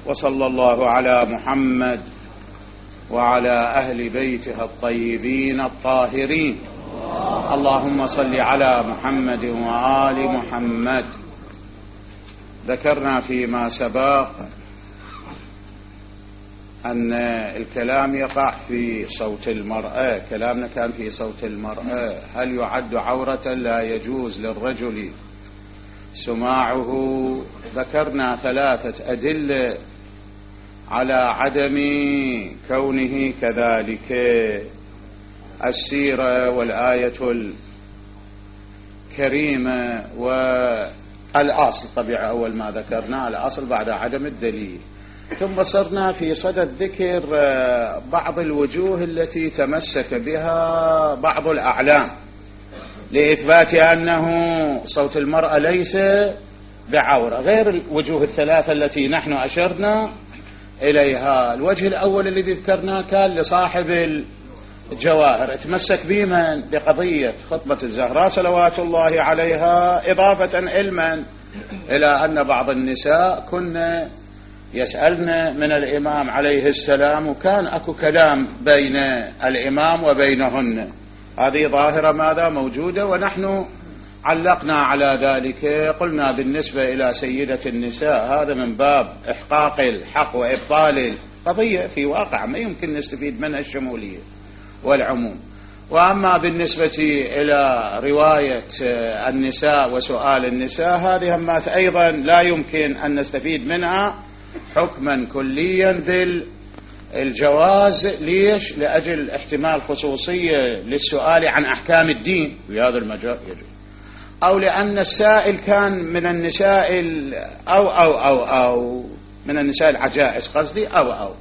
وصلى الله على محمد وعلى أهل بيته الطيبين الطاهرين. اللهم صل على محمد وآل محمد. ذكرنا فيما سبق أن الكلام يقع في صوت المرأة، كلامنا كان في صوت المرأة. هل يعد عورة لا يجوز للرجل سماعه؟ ذكرنا 3 أدلة على عدم كونه كذلك: السيرة والآية الكريمة والأصل. طبيعة أول ما ذكرنا الأصل بعد عدم الدليل، ثم صرنا في صدد ذكر بعض الوجوه التي تمسك بها بعض الأعلام لإثبات أنه صوت المرأة ليس بعورة، غير الوجوه ال3 التي نحن أشرنا إليها. الوجه الأول الذي ذكرناه كان لصاحب الجواهر، تمسك بمن؟ بقضية خطبة الزهراء صلوات الله عليها، إضافة علما إلى أن بعض النساء كن يسألن من الإمام عليه السلام، وكان أكو كلام بين الإمام وبينهن. هذه ظاهرة ماذا موجودة، ونحن علقنا على ذلك. قلنا بالنسبة إلى سيدة النساء هذا من باب إحقاق الحق وإبطال القضية في واقع ما يمكن نستفيد منها الشمولية والعموم. وأما بالنسبة إلى رواية النساء وسؤال النساء، هذه همات أيضا لا يمكن أن نستفيد منها حكما كليا ذي الجواز. ليش؟ لأجل احتمال خصوصية للسؤال عن أحكام الدين في هذا المجال يجوز، أو لأن السائل كان من النساء أو من النساء العجائز قصدي أو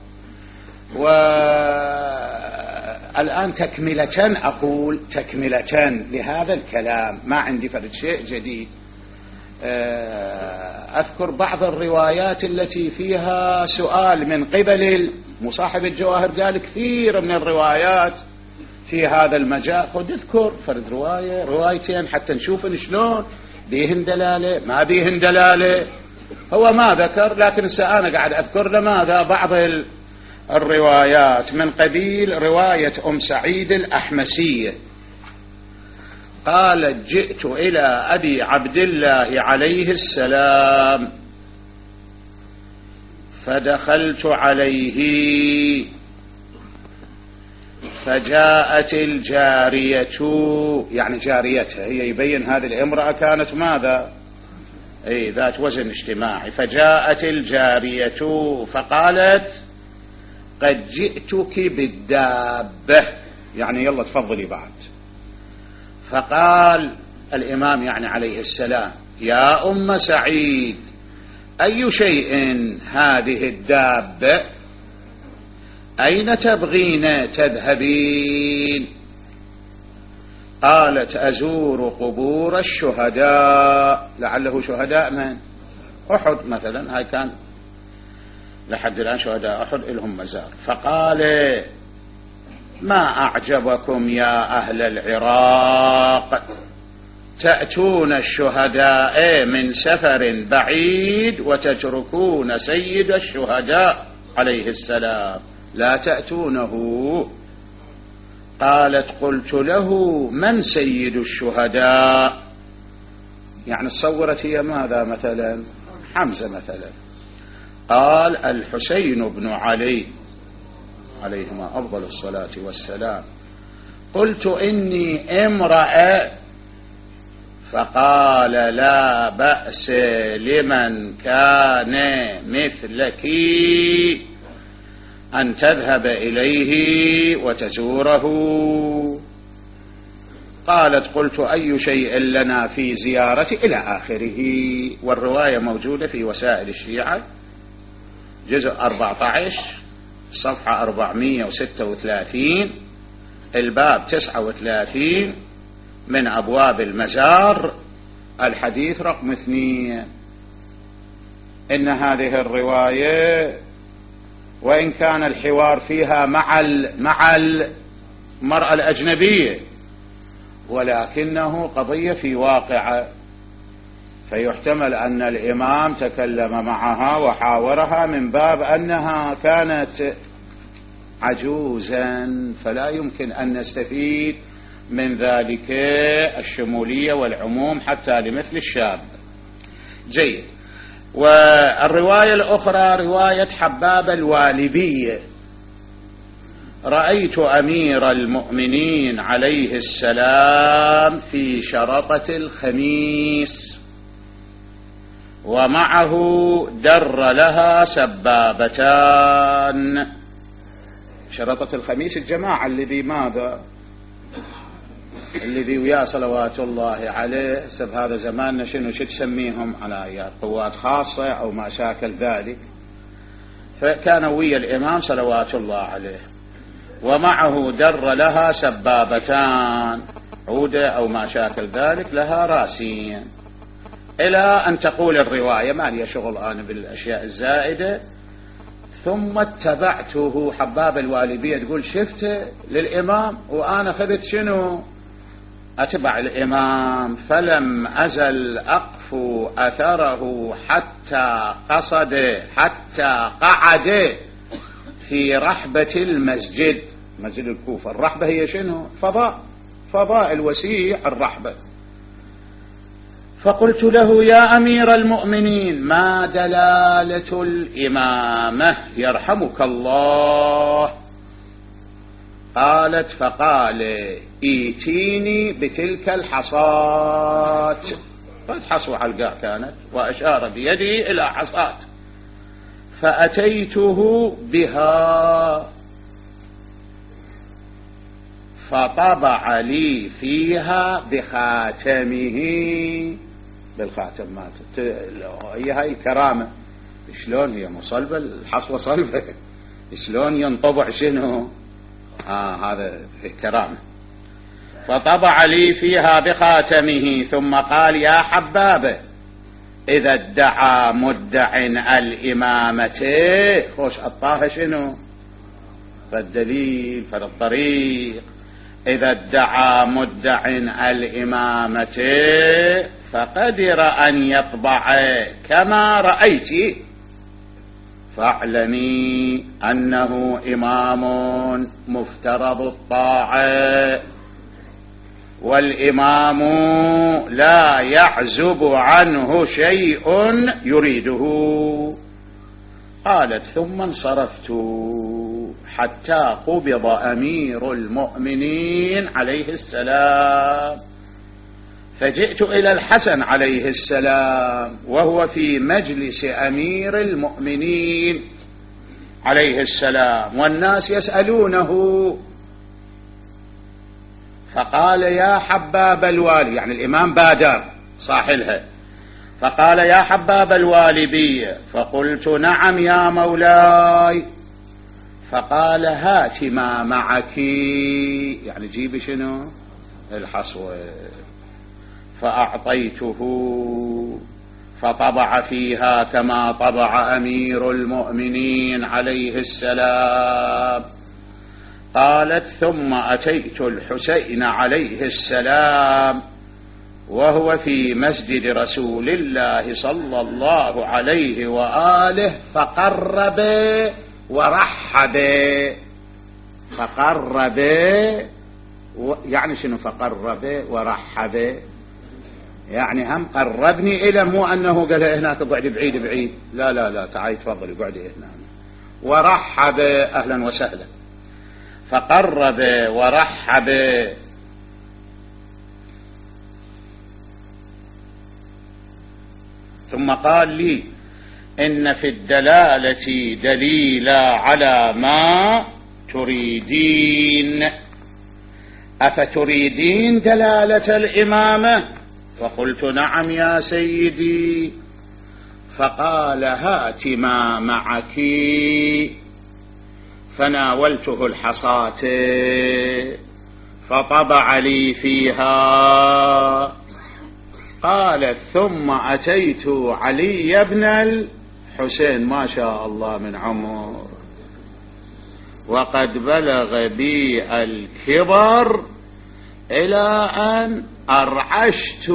والآن تكملة، أقول تكملة لهذا الكلام، ما عندي فرد شيء جديد. أذكر بعض الروايات التي فيها سؤال من قبل مصاحب الجواهر، قال كثير من الروايات في هذا المجال. خذ اذكر فرد روايتين حتى نشوف شلون بيهن دلالة ما بيهن دلالة. هو ما ذكر، لكن أنا قاعد أذكر لماذا بعض الروايات من قبيل رواية أم سعيد الأحمسية. قالت: جئت إلى أبي عبد الله عليه السلام فدخلت عليه فجاءت الجارية، يعني جاريتها هي، يبين هذه الامرأة كانت ماذا؟ ذات وزن اجتماعي. فجاءت الجارية فقالت: قد جئتك بالدابة، يعني يلا تفضلي بعد. فقال الإمام يعني عليه السلام: يا أم سعيد، أي شيء هذه الدابة؟ أين تبغين تذهبين؟ قالت: أزور قبور الشهداء. لعله شهداء من؟ أحد مثلا، هاي كان لحد الآن شهداء أحد لهم مزار. فقال: ما أعجبكم يا أهل العراق، تأتون الشهداء من سفر بعيد وتتركون سيد الشهداء عليه السلام، لا تأتونه. قالت: قلت له: من سيد الشهداء؟ يعني صورت هي ماذا مثلا؟ حمزة مثلا. قال: الحسين بن علي عليهما أفضل الصلاة والسلام. قلت: إني امرأة. فقال: لا بأس لمن كان مثلك أن تذهب إليه وتزوره. قالت: قلت: أي شيء لنا في زيارته، إلى آخره. والرواية موجودة في وسائل الشيعة جزء 14 صفحة 436 الباب 39 من أبواب المزار الحديث رقم 2. إن هذه الرواية وإن كان الحوار فيها مع المرأة الأجنبية، ولكنه قضية في واقعة. فيحتمل أن الإمام تكلم معها وحاورها من باب أنها كانت عجوزا، فلا يمكن أن نستفيد من ذلك الشمولية والعموم حتى لمثل الشاب. جيد. والرواية الأخرى رواية حباب الوالبي: رأيت أمير المؤمنين عليه السلام في شرطة الخميس ومعه در لها سبابتان. شرطة الخميس الجماعة الذي ماذا؟ الذي وياه صلوات الله عليه، سب هذا زماننا شنو تسميهم على قوات خاصة أو ما شاكل ذلك، فكان ويا الإمام صلوات الله عليه ومعه در لها سبابتان، عودة أو ما شاكل ذلك لها راسين، إلى أن تقول الرواية، ما لي شغل أنا بالأشياء الزائدة. ثم اتبعته، حباب الوالبية تقول شفته للإمام وأنا خذت شنو أتبع الإمام، فلم أزل أقفو أثره حتى قصد، حتى قعد في رحبة المسجد، مسجد الكوفة. الرحبة هي شنو؟ فضاء الوسيع الرحبة. فقلت له: يا أمير المؤمنين، ما دلالة الإمامة يرحمك الله؟ قالت: فقال: ايتيني بتلك الحصاة. قد حصوة حلقاء كانت، وأشار بيدي إلى حصاة، فأتيته بها فطبع لي فيها بخاتمه، بالخاتم مالته. هي هاي الكرامة، شلون هي مصلبة، الحصوة صلبة، شلون ينطبع شنو؟ هذا الكرامة. فطبع لي فيها بخاتمه ثم قال: يا حبابة، إذا ادعى مدع الإمامة، خوش أطاها شنو؟ فالدليل فالطريق. إذا ادعى مدع الإمامة فقدر أن يطبع كما رأيت، فاعلمي أنه إمام مفترض الطاعة، والإمام لا يعزب عنه شيء يريده. قالت: ثم انصرفت حتى قبض أمير المؤمنين عليه السلام، فجئت إلى الحسن عليه السلام وهو في مجلس أمير المؤمنين عليه السلام والناس يسألونه، فقال: يا حباب الوالي، يعني الإمام بادر صاحلها، فقال: يا حباب الوالبي. فقلت: نعم يا مولاي. فقال: هات ما معك، يعني جيبي شنو؟ الحصوة. فأعطيته فطبع فيها كما طبع أمير المؤمنين عليه السلام. قالت: ثم أتيت الحسين عليه السلام وهو في مسجد رسول الله صلى الله عليه وآله، فقرب ورحب. فقرب يعني شنو؟ فقرب ورحب يعني هم قربني إلى، مو أنه قال هناك اقعد بعيد بعيد، لا لا لا، تعالي تفضلي اقعدي هنا. ورحب، أهلا وسهلا. فقرب ورحب. ثم قال لي: إن في الدلالة دليلا على ما تريدين، أفتريدين دلالة الإمامة؟ فقلت: نعم يا سيدي. فقال: هات ما معك. فناولته الحصاة فطبع لي فيها. قال: ثم أتيت علي بن الحسين، ما شاء الله من عمر، وقد بلغ بي الكبر إلى أن أرعشت،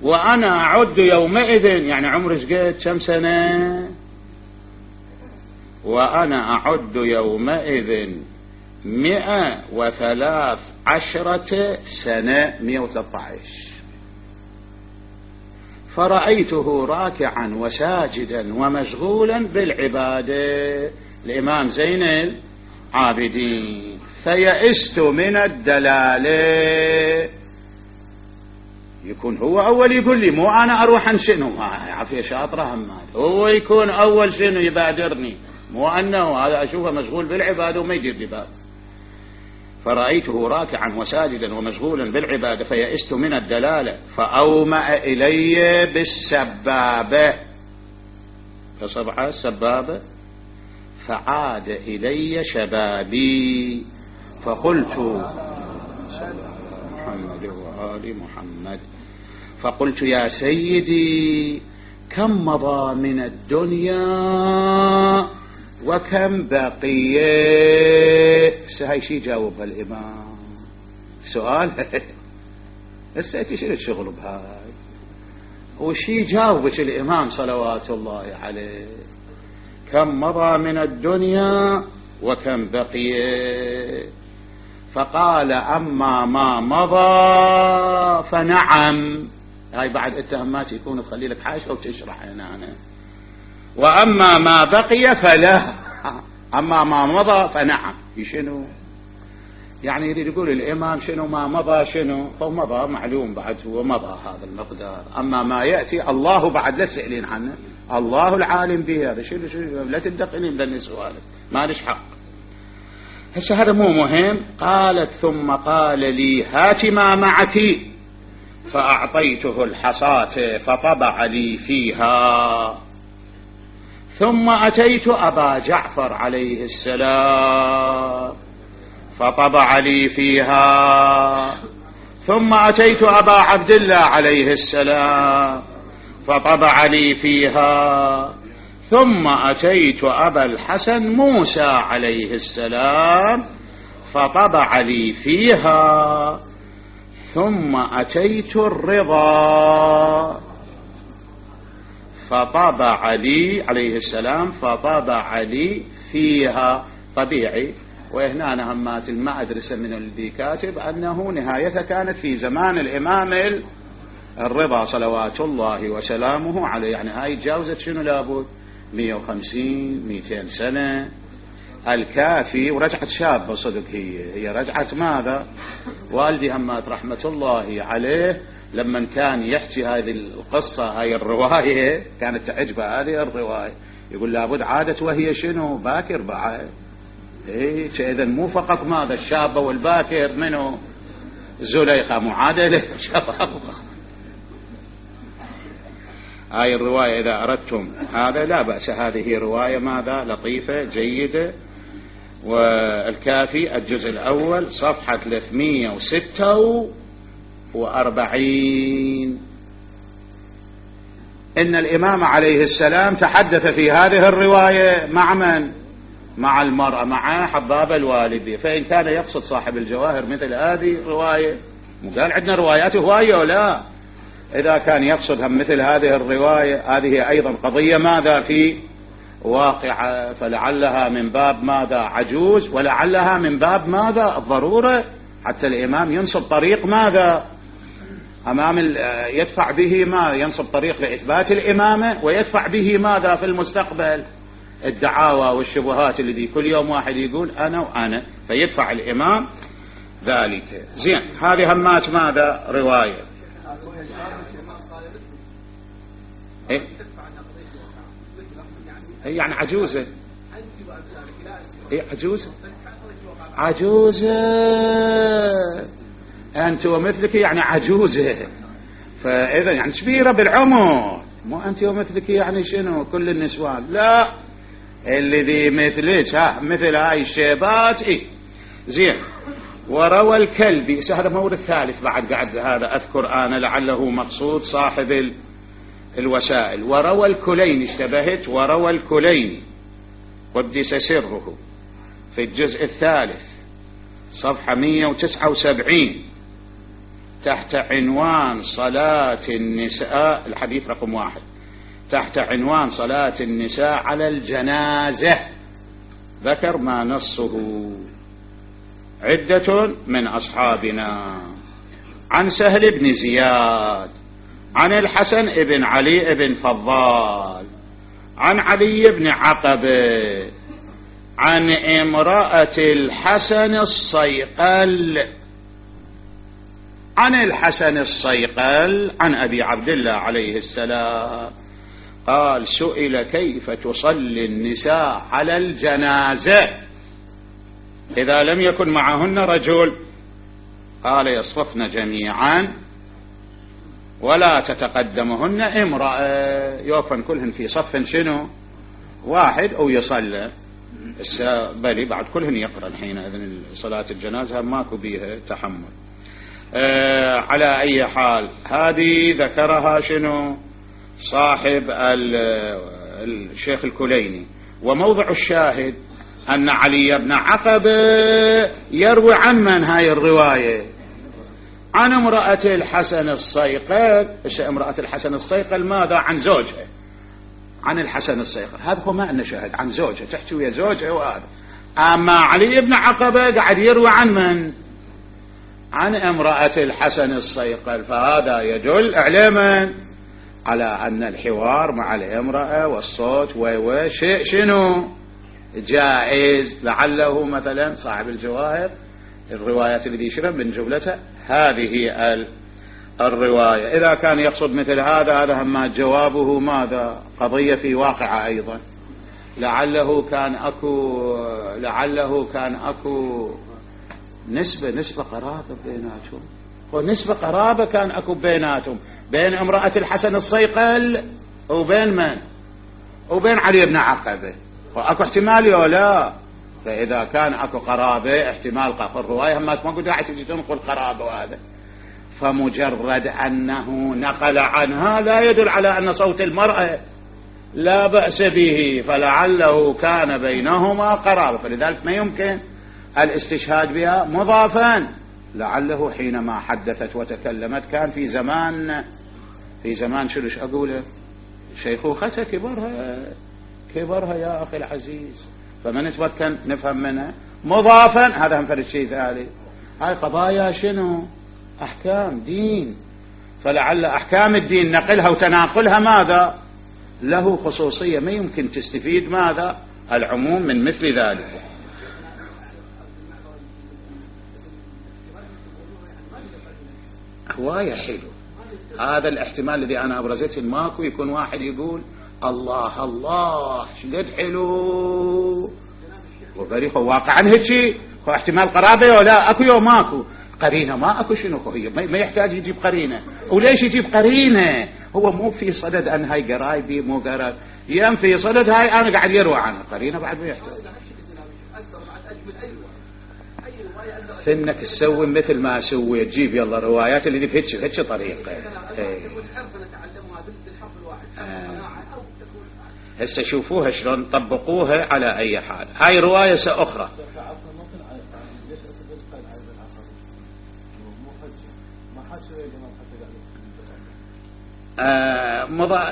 وأنا أعد يومئذ، يعني عمري شقد كم سنة؟ وأنا أعد يومئذ 113 سنة، 113. فرأيته راكعا وساجدا ومشغولا بالعبادة، الإمام زين العابدين. فيئست من الدلالة. يكون هو أول يقول لي، مو أنا أروح عن شنو، عافية شاطرة همات، هو يكون أول شنو يبادرني، مو أنه هذا أشوفه مشغول بالعبادة وما يجيب لي باب. فرأيته راكعا وساجدا ومشغولا بالعبادة فيئست من الدلالة، فأومأ إلي بالسبابة، فصبح السبابة، فعاد إلي شبابي، فقلت محمد وآل محمد، فقلت يا سيدي كم مضى من الدنيا وكم بقي؟ هاي شي جاوبها الإمام، سؤال هسه شنو الشغل بهاي، وشي جاوبك الإمام صلوات الله عليه؟ كم مضى من الدنيا وكم بقي؟ فقال أما ما مضى فنعم. هاي بعد اتهامات يكون تخلي لك حاشة وتشرح هنا أنا. وأما ما بقي فلا، أما ما مضى فنعم. شنو يعني يريد يقول الإمام؟ شنو ما مضى؟ شنو فمضى معلوم بعد، هو مضى هذا المقدار. أما ما يأتي الله بعد لا تسألين عنه، الله العالم به. هذا شنو لا تدقنين بالنسوالك، ما ليش حق. هسه هذا مو مهم. قالت ثم قال لي هات ما معك، فأعطيته الحصاة فطبع لي فيها. ثم أتيت أبا جعفر عليه السلام فطبع لي فيها. ثم أتيت أبا عبد الله عليه السلام فطبع لي فيها. ثم أتيت أبا الحسن موسى عليه السلام فطبع لي فيها. ثم أتيت الرضا فطبع لي عليه السلام فطبع لي فيها. طبيعي. وهنا أنا همات ما أدرس من الذي كاتب أنه نهايته كانت في زمان الإمام الرضا صلوات الله وسلامه عليه، يعني هاي تجاوزت شنو لابد 150 200 سنة. الكافي ورجعت شابة صدق، هي رجعت ماذا؟ والدي همات رحمة الله عليه لما كان يحكي هذه القصة هاي الرواية كانت تعجبه هذه الرواية، يقول لابد عادت وهي شنو باكر بعد. إذن مو فقط ماذا الشابة والباكر، منه زليخة معادلة شباب. هاي الرواية إذا أردتم هذا لا بأس، هذه رواية ماذا لطيفة جيدة. والكافي الجزء الأول صفحة 346. إن الإمام عليه السلام تحدث في هذه الرواية مع من؟ مع المرأة، مع حباب الوالدي. فإن كان يقصد صاحب الجواهر مثل هذه الرواية، قال عندنا روايات هواية ولا؟ إذا كان يقصد هم مثل هذه الرواية، هذه أيضا قضية ماذا في واقعة، فلعلها من باب ماذا عجوز، ولعلها من باب ماذا الضرورة، حتى الإمام ينصب طريق ماذا أمام يدفع به ما ينصب طريق لإثبات الإمامة، ويدفع به ماذا في المستقبل الدعاوى والشبهات الذي كل يوم واحد يقول أنا وأنا، فيدفع الإمام ذلك. زين، هذه همات ماذا رواية. إيه؟ يعني عجوزة. إيه عجوزة؟ عجوزة أنت ومثلك، يعني عجوزة. فإذا يعني كبيرة بالعمر، مو أنت ومثلك يعني شنو كل النسوان، لا الذي مثلك مثل هاي الشيبات. إيه زين. وروى الكلبي، هذا مورد ثالث بعد قاعد هذا أذكر أنا لعله مقصود صاحب الوسائل. وروى الكليني، اشتبهت، وروى الكليني قدس سره في الجزء الثالث صفحة 179 تحت عنوان صلاة النساء، الحديث رقم 1 تحت عنوان صلاة النساء على الجنازة، ذكر ما نصه عدة من أصحابنا عن سهل بن زياد عن الحسن بن علي بن فضال عن علي بن عقبة عن امرأة الحسن الصيقل عن الحسن الصيقل عن أبي عبد الله عليه السلام قال: سئل كيف تصلي النساء على الجنازة إذا لم يكن معهن رجل؟ قال: يصففن جميعا ولا تتقدمهن امرأة، يوقفن كلهن في صف شنو واحد أو يصلى بل بعد كلهن يقرأ الحين إذن صلاة الجنازة ماكو بيها تحمل. على أي حال هذه ذكرها شنو صاحب الشيخ الكليني، وموضع الشاهد أن علي بن عقبة يروي عن من هاي الرواية؟ عن امرأة الحسن الصيقل. امرأة الحسن الصيقل ماذا؟ عن زوجها، عن الحسن الصيقل، هذا هو ما أن شاهد عن زوجها، تحكي ويا زوجها وهذا. أما علي بن عقبة قاعد يروي عن من؟ عن امرأة الحسن الصيقل، فهذا يدل إعلاما على أن الحوار مع الامرأة والصوت وشيء شنو جائز. لعله مثلا صاحب الجواهر الروايات اللي يشرب من جملتها هذه الرواية، إذا كان يقصد مثل هذا هم جوابه ماذا؟ قضية في واقعة أيضا، لعله كان أكو نسبة قرابة بيناتهم، ونسبة قرابة كان أكو بيناتهم، بين امرأة الحسن الصيقل وبين من؟ وبين علي بن عقبة، وأكو احتمال يا لا؟ فإذا كان أكو قرابة احتمال الرواية ما قد راح تجي تنقل قرابة، وهذا فمجرد أنه نقل عنها لا يدل على أن صوت المرأة لا بأس به، فلعله كان بينهما قرابة، فلذلك ما يمكن الاستشهاد بها مضافا. لعله حينما حدثت وتكلمت كان في زمان شلش أقوله شيخوختها كبرها يا أخي العزيز، فمن نتمكن نفهم منها مضافا. هذا هم فرد شيء ثالث، هاي قضايا شنو؟ أحكام دين، فلعل أحكام الدين نقلها وتناقلها ماذا؟ له خصوصية، ما يمكن تستفيد ماذا؟ العموم من مثل ذلك. هواية حلو هذا الاحتمال الذي أنا أبرزته، ماكو يكون واحد يقول الله الله شقد حلو وبريخ واقعا هيك هو احتمال قرابة ولا أكو يوم ماكو قرينة، ما أكو شنو هي ما يحتاج يجيب قرينة. وليش يجيب قرينة؟ هو مو في صدد أن هاي قرايبي مو قرايب، يم في صدد هاي أنا قاعد يروى عنها قرينة بعد ما يحتاج سنك تسوي مثل ما سوي تجيب يلا روايات اللي بهيك طريقة. هسه شوفوها شلون طبقوها على أي حال. هاي رواية أخرى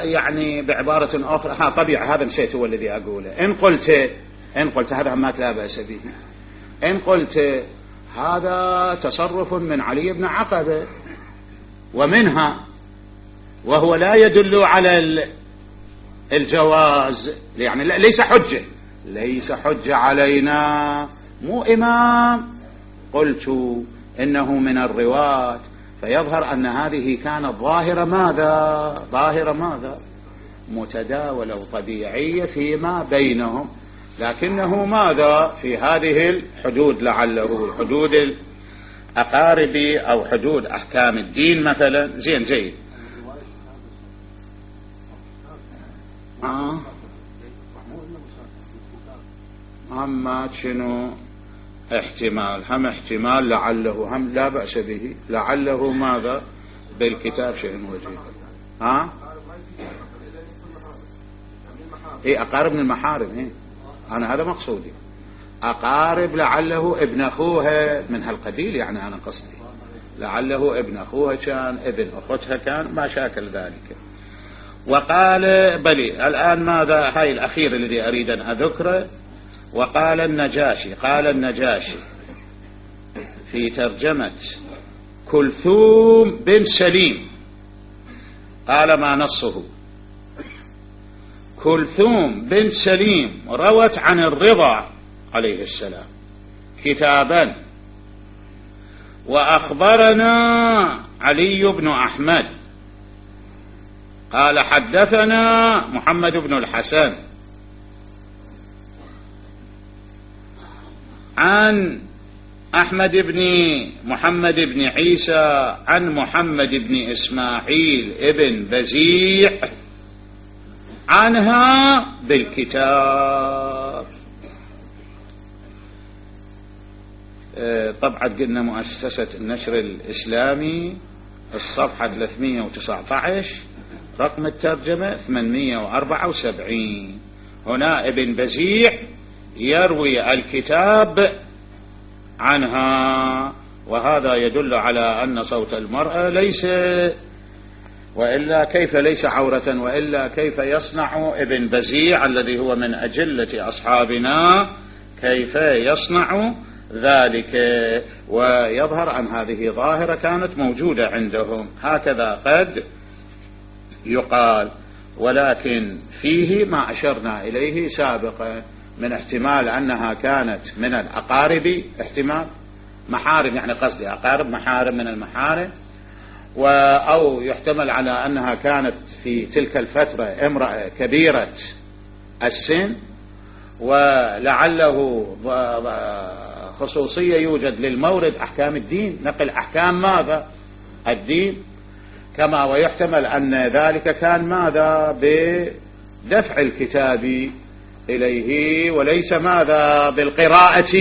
يعني بعبارة أخرى طبيعة هذا نسيت هو الذي أقوله. إن قلت هذا ما لا بأس به، إن قلت هذا تصرف من علي بن عقبة ومنها، وهو لا يدل على الجواز، يعني ليس حجة علينا، مو إمام. قلت إنه من الرواة، فيظهر أن هذه كانت ظاهرة ماذا؟ متداولة وطبيعية فيما بينهم، لكنه ماذا؟ في هذه الحدود، لعله حدود الأقارب أو حدود أحكام الدين مثلا. زين جيد. أما شنو احتمال؟ هم احتمال لعله هم لا بأس به، لعله ماذا؟ بالكتاب شيء وجيه. إيه أقارب من المحارم. إيه أنا هذا مقصودي، أقارب لعله ابن أخوها من هالقبيل، يعني أنا قصدي لعله ابن أخوها كان، ابن أختها كان، ما شاكل ذلك. وقال بلي الآن ماذا، هاي الأخير الذي أريد أن أذكره. وقال النجاشي، قال النجاشي في ترجمة كلثوم بن سليم، قال ما نصه: كلثوم بن سليم روت عن الرضا عليه السلام كتابا، وأخبرنا علي بن أحمد قال حدثنا محمد بن الحسن عن أحمد بن محمد بن عيسى عن محمد بن إسماعيل ابن بزيع عنها بالكتاب. طبعا قلنا مؤسسة النشر الإسلامي، الصفحة 319، رقم الترجمة 874. هنا ابن بزيع يروي الكتاب عنها، وهذا يدل على أن صوت المرأة ليس، وإلا كيف ليس عورة، وإلا كيف يصنع ابن بزيع الذي هو من أجلة أصحابنا كيف يصنع ذلك؟ ويظهر أن هذه ظاهرة كانت موجودة عندهم، هكذا قد يقال. ولكن فيه ما أشرنا إليه سابقا من احتمال أنها كانت من الأقارب، احتمال محارم، يعني قصدي أقارب، محارم من المحارم، أو يحتمل على أنها كانت في تلك الفترة امرأة كبيرة السن، ولعله خصوصية يوجد للمورد أحكام الدين، نقل أحكام ماذا؟ الدين. كما ويحتمل أن ذلك كان ماذا؟ بدفع الكتاب إليه، وليس ماذا؟ بالقراءة،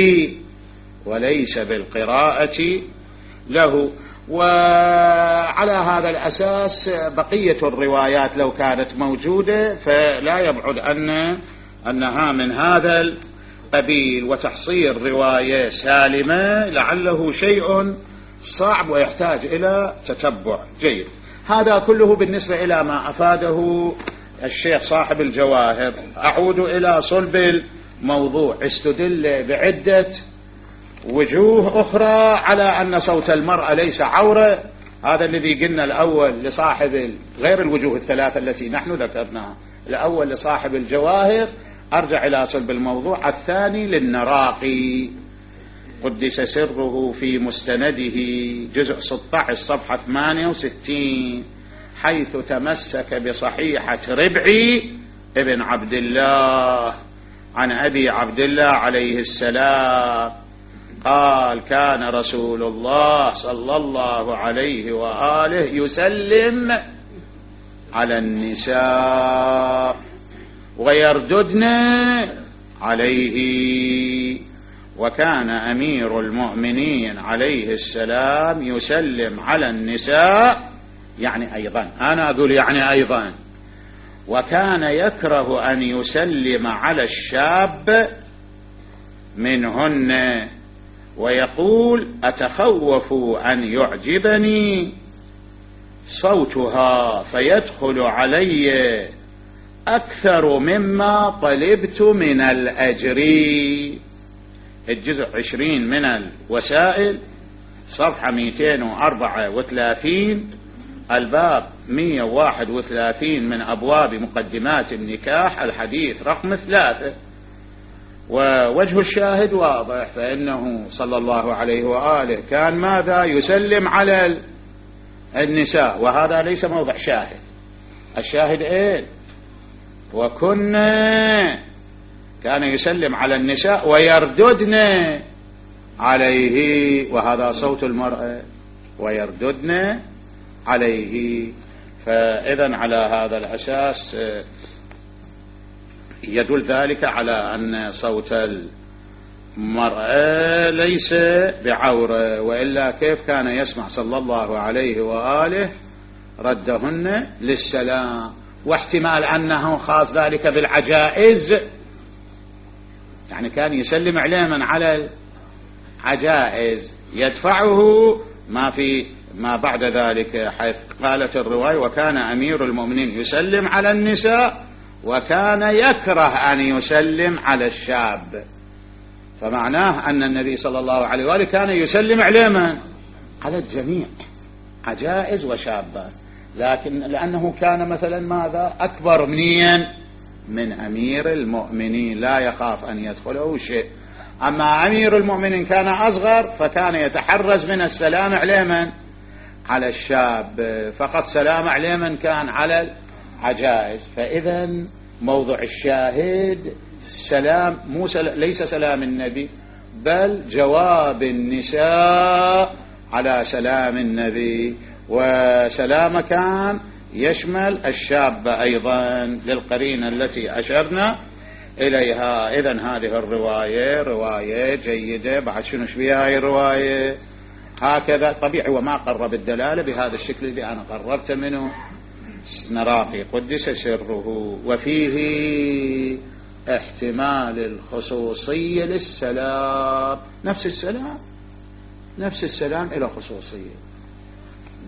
وليس بالقراءة له. وعلى هذا الأساس بقية الروايات لو كانت موجودة فلا يبعد أنها من هذا القبيل، وتحصيل رواية سالمة لعله شيء صعب ويحتاج إلى تتبع جيد. هذا كله بالنسبة إلى ما أفاده الشيخ صاحب الجواهر. أعود إلى صلب الموضوع. استدل بعدة وجوه أخرى على أن صوت المرأة ليس عورة، هذا الذي قلنا الأول لصاحب غير الوجوه الثلاثة التي نحن ذكرناها. الأول لصاحب الجواهر، أرجع إلى صلب الموضوع. الثاني للنراقي قدس سره في مستنده جزء 16 صفحة 68، حيث تمسك بصحيحة ربعي ابن عبد الله عن أبي عبد الله عليه السلام قال: كان رسول الله صلى الله عليه وآله يسلم على النساء ويرددن عليه، وكان أمير المؤمنين عليه السلام يسلم على النساء، يعني أيضا، أنا أقول يعني أيضا، وكان يكره أن يسلم على الشاب منهن، ويقول: أتخوف أن يعجبني صوتها فيدخل علي أكثر مما طلبت من الأجر. الجزء 20 من الوسائل صفحة 234، الباب 131 من أبواب مقدمات النكاح، الحديث رقم 3. ووجه الشاهد واضح، فإنه صلى الله عليه وآله كان ماذا؟ يسلم على النساء، وهذا ليس موضع شاهد. الشاهد إيه؟ كان يسلم على النساء ويرددن عليه، وهذا صوت المرأة، ويرددن عليه. فإذا على هذا الأساس يدل ذلك على أن صوت المرأة ليس بعورة، وإلا كيف كان يسمع صلى الله عليه وآله ردهن للسلام؟ واحتمال أنه خاص ذلك بالعجائز، يعني كان يسلم عليه من على العجائز، يدفعه ما بعد ذلك، حيث قالت الرواية وكان أمير المؤمنين يسلم على النساء وكان يكره أن يسلم على الشاب، فمعناه أن النبي صلى الله عليه وآله كان يسلم على الجميع، عجائز وشابات، لكن لأنه كان مثلا ماذا أكبر من أمير المؤمنين لا يخاف أن يدخله شيء. أما أمير المؤمنين كان أصغر فكان يتحرز من السلام على الشاب، فقط سلام عليه من كان على العجائز. فإذا موضوع الشاهد السلام ليس سلام النبي، بل جواب النساء على سلام النبي، وسلام كان يشمل الشاب أيضا للقرينة التي أشرنا إليها. إذن هذه الرواية رواية جيدة. بعد شنو بها هاي الرواية؟ هكذا طبيعي، وما قرب الدلالة بهذا الشكل اللي أنا قربت منه نراقي قدس سره. وفيه احتمال الخصوصية للسلام، نفس السلام إلى خصوصية،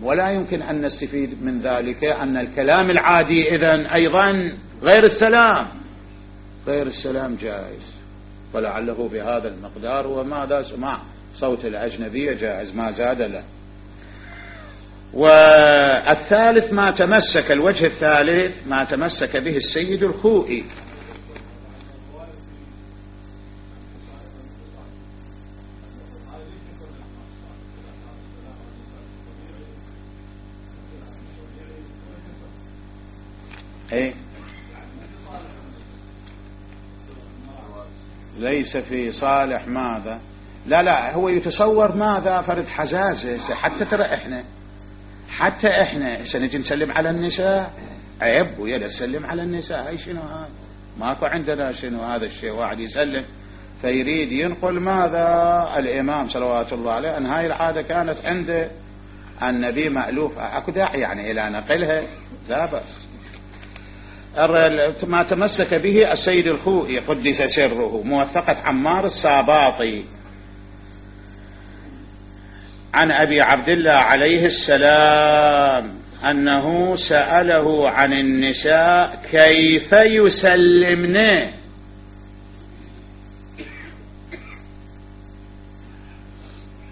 ولا يمكن أن نستفيد من ذلك أن الكلام العادي إذن أيضا غير السلام جائز، ولعله بهذا المقدار، وماذا سمع صوت الأجنبية جائز ما زاد له. والثالث الوجه الثالث ما تمسك به السيد الخوئي. ليس في صالح ماذا، لا هو يتصور ماذا فرد حزازة. حتى احنا سنجي نسلم على النساء، عيب ويلا نسلم على النساء، هاي شنو هذا؟ ماكو عندنا شنو هذا الشيء، واحد يسلم فيريد ينقل ماذا الإمام صلوات الله عليه أن هاي العادة كانت عند النبي مألوفة، اكو داعي يعني إلى نقلها، لا بأس. ما تمسك به السيد الخوئي قدس سره، موثقة عمار الساباطي عن أبي عبد الله عليه السلام أنه سأله عن النساء كيف يسلمن،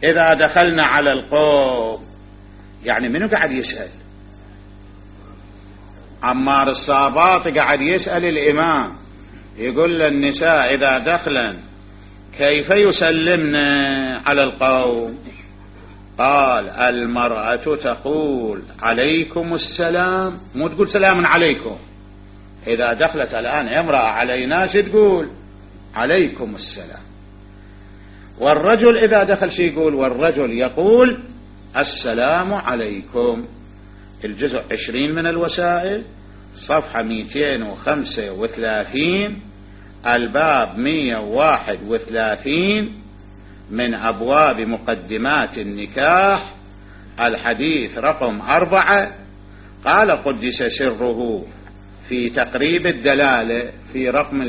إذا دخلنا على القوم. يعني منو قاعد يسأل؟ عمار الساباطي قاعد يسأل الإمام، يقول للنساء إذا دخلن كيف يسلمن على القوم؟ قال المرأة تقول عليكم السلام، مو تقول سلام عليكم. إذا دخلت الآن امرأة علينا شو تقول؟ عليكم السلام. والرجل إذا دخل شو يقول؟ والرجل يقول السلام عليكم. الجزء 20 من الوسائل، صفحة 235، الباب 131 من أبواب مقدمات النكاح، الحديث رقم 4. قال قدس سره في تقريب الدلالة في رقم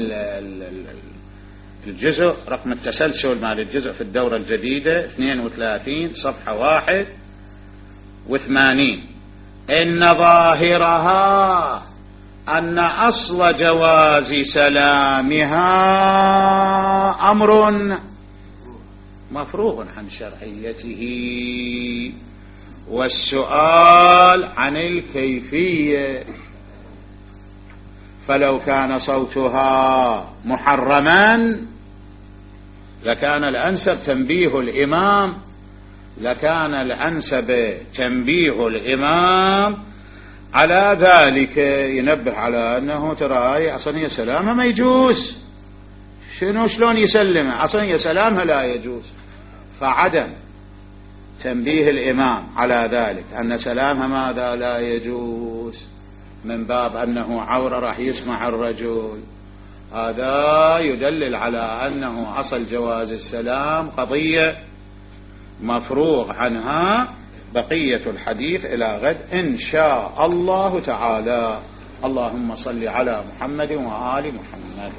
الجزء، رقم التسلسل مال الجزء في الدورة الجديدة 32 صفحة 81، إن ظاهرها أن أصل جواز سلامها أمر مفروغ عن شرعيته، والسؤال عن الكيفية. فلو كان صوتها محرما لكان الأنسب تنبيه الإمام على ذلك، ينبه على أنه ترى أصلا سلامها ما يجوز، شلون يسلمها أصلا سلامها لا يجوز. فعدم تنبيه الإمام على ذلك أن سلامها ماذا لا يجوز، من باب أنه عورة راح يسمع الرجل، هذا يدلل على أنه أصل جواز السلام قضية مفروغ عنها. بقية الحديث إلى غد إن شاء الله تعالى. اللهم صل على محمد وآل محمد.